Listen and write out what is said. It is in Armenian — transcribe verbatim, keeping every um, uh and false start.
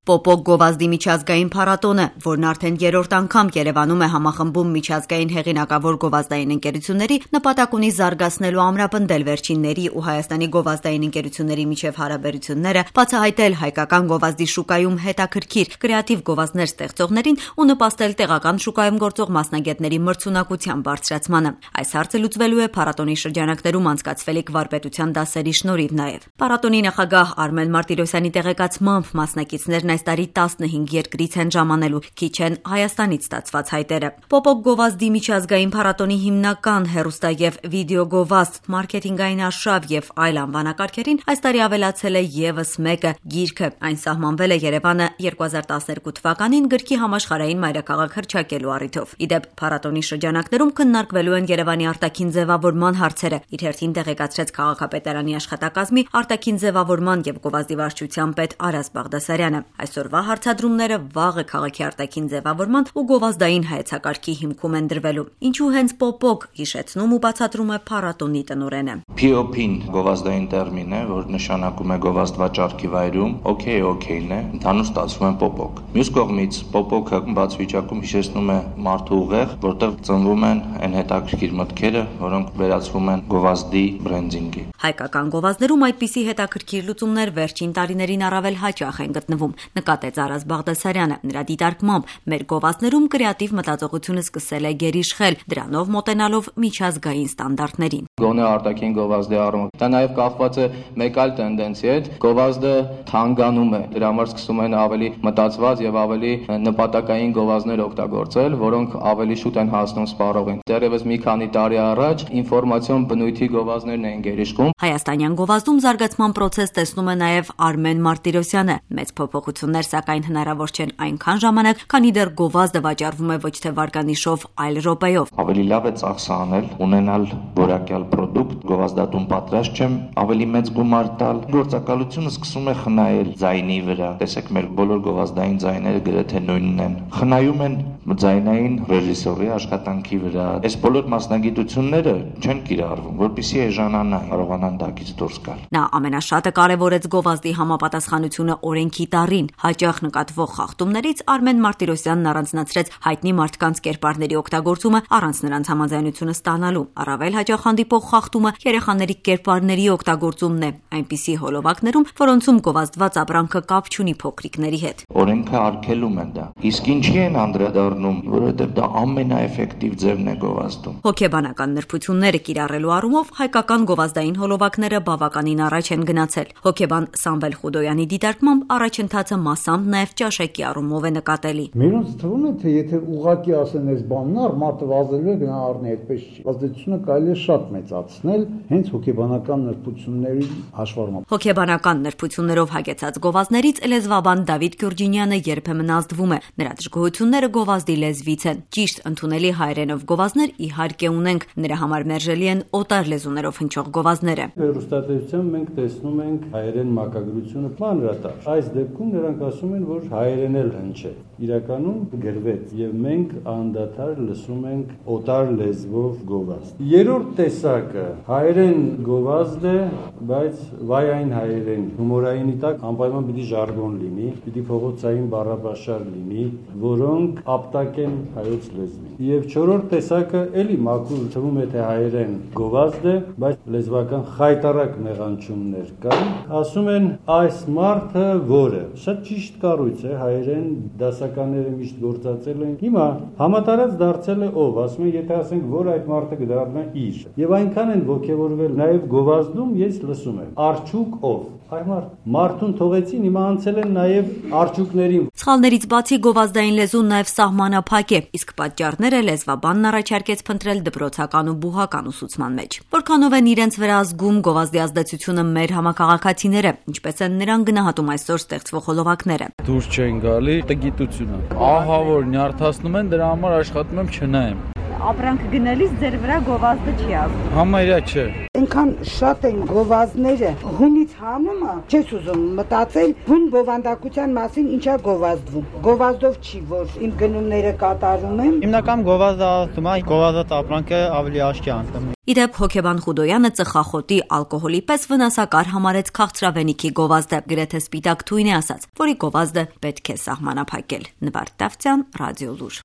Պոպոկ գովազդի միջազգային փառատոնը, որն արդեն երրորդ անգամ Երևանում է համախմբում միջազգային հեղինակավոր գովազդային ընկերությունների, նպատակ ունի զարգացնելու ամրապնդել վերջինների ու Հայաստանի գովազդային ընկերությունների միջև հարաբերությունները, բացահայտել հայկական գովազդի շուկայում հետաքրքիր կրեատիվ գովազդներ ստեղծողներին ու նպաստել տեղական շուկայում գործող մասնագետների մրցունակության բարձրացմանը։ Այս հարցը լուծվելու է փառատոնի շրջանակներում անցկացվելիք վարպետության դասերի շնորհիվ նաև։ Փառատոնի նախագահ Արմեն Մարտիրոսյանի տեղեկացմամբ մասնակիցներն այս տարի տասնհինգ երկրից են ժամանելու, քիչ են Հայաստանից ստացված հայտերը։ Պոպոկ գովազդի միջազգային փառատոնի հիմնական հեռուստա եւ վիդեո գովազդ, մարքեթինգային արշավ եւ այլ անվանակարգերին այս տարի ավելացել է եւս մեկը՝ գիրքը։ Այն սահմանվել է Երևանը երկու հազար տասներկու թվականին գրքի համաշխարհային մայրաքաղաք հռչակելու առիթով։ Իդեպ փառատոնի շրջանակներում քննարկվելու են Երևանի արտաքին ձևավորման հարցերը, իր հերթին տեղեկացրեց քաղաքապետարանի աշխատակազմի արտաքին ձևավորման եւ գովազդի վարչության պետ Արազ Բաղդասարյանը։ Այսօրվա հարցադրումները վաղը քաղաքի արտաքին ձևավորման ու գովազդային հայեցակարգի հիմքում են դրվելու։ Ինչու հենց պոպոկ, հիշեցնում ու բացատրում է փառատոնի տնօրենը։ Պի օ փին գովազդային տերմին է, որ նշանակում է գովազդ վաճառքի վայրում, օքեյ օքեյն է, ընդհանուր ստացվում է պոպոկ։ Մյուս կողմից պոպոկը բաց վիճակում հիշեցնում է մարդու ուղեղ, որտեղ ծնվում են այն հետաքրքիր մտքերը, որոնք վերածվում են գովազդի բրենդինգի։ Հայկական գովազդներում այդպիսի հետաքրքիր լուծումներ վերջին տարիներին առավել հաճախ են գտնվում, նկատեց Արազ Բաղդասարյանը։ Նրա դիտարկմամբ մեր գովազդներում կրեատիվ մտածողությունը սկսել է գերիշխել, դրանով մոտենալով միջազգային ստանդարտներին։ Գոնե արտաքին գովազդի առումով դա նաև կախված է մեկ այլ տենդենցի հետ, գովազդը թանկանում է, դրա համար սկսում են ավելի մտածված եւ ավելի նպատակային գովազդներ օգտագործել, որոնք ավելի շուտ են հասնում սպառողին։ Դեռևս մի քանի տարի առաջ ինֆորմացիոն բնույթի գովազդներն էին գերիշխում։ Հայաստանյան գովազդում զարգացման process տեսնում է նաև Արմեն Մարտիրոսյանը։ Մեծ փոփոխություններ սակայն հնարավոր չեն այնքան ժամանակ, քանի դեռ գովազդը վաճառվում է ոչ թե վարկանիշով, այլ րոպեով։ Ավելի լավ է ծախսը անել, ունենալ որակյալ product, գովազդատուն պատրաստ չեմ, ավելի մեծ գումար տալ։ Գործակալությունը սկսում է խնայել ձայնի վրա։ Տեսեք, մեր բոլոր գովազդային ձայները գրեթե նույնն են։ Խնայում են ձայնային ռեժիսորի աշխատանքի վրա։ Այս բոլոր մասնագիտությունները չեն կիրառվում, որպեսզի էժանանան, կարողանան դակից դուրս գալ։ Նա ամենաշատը կարևորեց գովազդի համապատասխանությունը օրենքի տառին։ Հաճախ նկատվող խախտումներից Արմեն Մարտիրոսյանն առանձնացրեց հայտնի մարդկանց կերպարների օգտագործումը առանց նրանց համաձայնությունը ստանալու։ Առավել հաճախ հանդիպող խախտումը երեխաների կերպարների օգտագործումն է, այնպիսի հոլովակներում, որոնցում գովազդված ապրանքը կապ չունի փոքրիկների հետ։ Օրենքը արգելում են դա։ Իսկ ինչի են անդրադառնում, որովհետև դա ամենաէֆեկտիվ ձևն է գովազդում։ Հոգեբանական նրբությունները կիրառելու առումով հայկական գովազդային հոլովակները բավականին առաջ են գնացել։ Հոգեբան Սամվել Խուդոյանի դիտարկմամբ առաջընթացը մասամբ նաև ճաշակի առումով է նկատելի։ Մերոնց թվում է, թե եթե ուղղակի ասեն այս բանն առ մարդը վազելու է գնա առնի, այդպես չի։ Ազդեցությունը կարելի է շատ մեծացնել հենց հոգեբանական նրբությունների հաշվառմամբ։ Հոգեբանական նրբություններով հագեցած գովազդներից լեզվաբան Դավիթ Գյուրջինյանը երբեմն ազդվում է։ Նրա դժգոհությունները գովազդի լեզվից են։ Ճիշտ ընդունելի հայերենով գովազդներ իհարկե ունենք, նրա համար մերժելի են օտար լեզուներով հնչող գովազդները։ Հեռուստատեսությամբ մենք տեսնում ենք հայերեն մակագրությունը մանրատար։ Այս դեպքում նրանք ասում են, որ հայերեն էլ հնչե։ Իրականում գրվեց եւ մենք անդադար լսում ենք օտար լեզվով գովազդ։ Երրորդ տեսակը հայերեն գովազդ է, բայց վայային հայերեն, հումորայինի տակ անպայման պիտի ժարգոն լինի, պիտի փողոցային բառապաշար լինի, որոնք ապտակ են հայոց լեզվին։ Եվ չորրորդ տեսակը էլի մաքուր թվում է թե հայերեն գովազդ է, բայց լեզվական խայտարակ մեղանչումներ կան։ Ասում են այս մարդը որը։ Շատ ճիշտ կառույց է, հայերեն դասականները միշտ գործածել են։ Հիմա համատարած դարձել է ով, ասում են, եթե ասենք որ այդ մարդը կդառնա իր։ Եվ այնքան են ոգևորվել, նաև գովազդում ես լսում եմ։ Արջուկ ով։ Այ մարդ, մարդուն թողեցին, հիմա անցել են նաև արջուկներին։ Սխալներից բացի գովազդային լեզուն նաև սահմանափակ է, իսկ պատճառները լեզվաբանն առաջարկեց փնտրել դպրոցական ու բուհական ուսուցման մեջ։ Որքանով են իրենց վրա ազգում գովազդի ազդեցությունը մեր համակարգացիները, ինչպես են նրան գնահատում այսօր ստեղծվող հոլովակները։ Դուրս չեն գալի, տգիտությունը։ Ահա որ նյարդացնում են, դրա համար աշխատում եմ չնայեմ։ ապրանք գնելիս ձեր վրա գովազդը չի ազդում։ Համարյա չէ։ Այնքան շատ են գովազդները, հունից հանումը, չես ուզում մտածել հուն բովանդակության մասին ինչա գովազդվում։ Գովազդով չի, որ իմ գնումները կատարում եմ։ Հիմնական գովազդը ասում է, գովազդ ապրանքը ավելի աչքի անցնում։ Իդեպ հոգեբան Խուդոյանը ծխախոտի ալկոհոլի պես վնասակար համարեց քաղցրավենիքի գովազդը, գրեթե սպիտակ թույն է ասաց, որի գովազդը պետք է սահմանափակել։ Նվարդ Դավթյան, Ռադիո Լուր։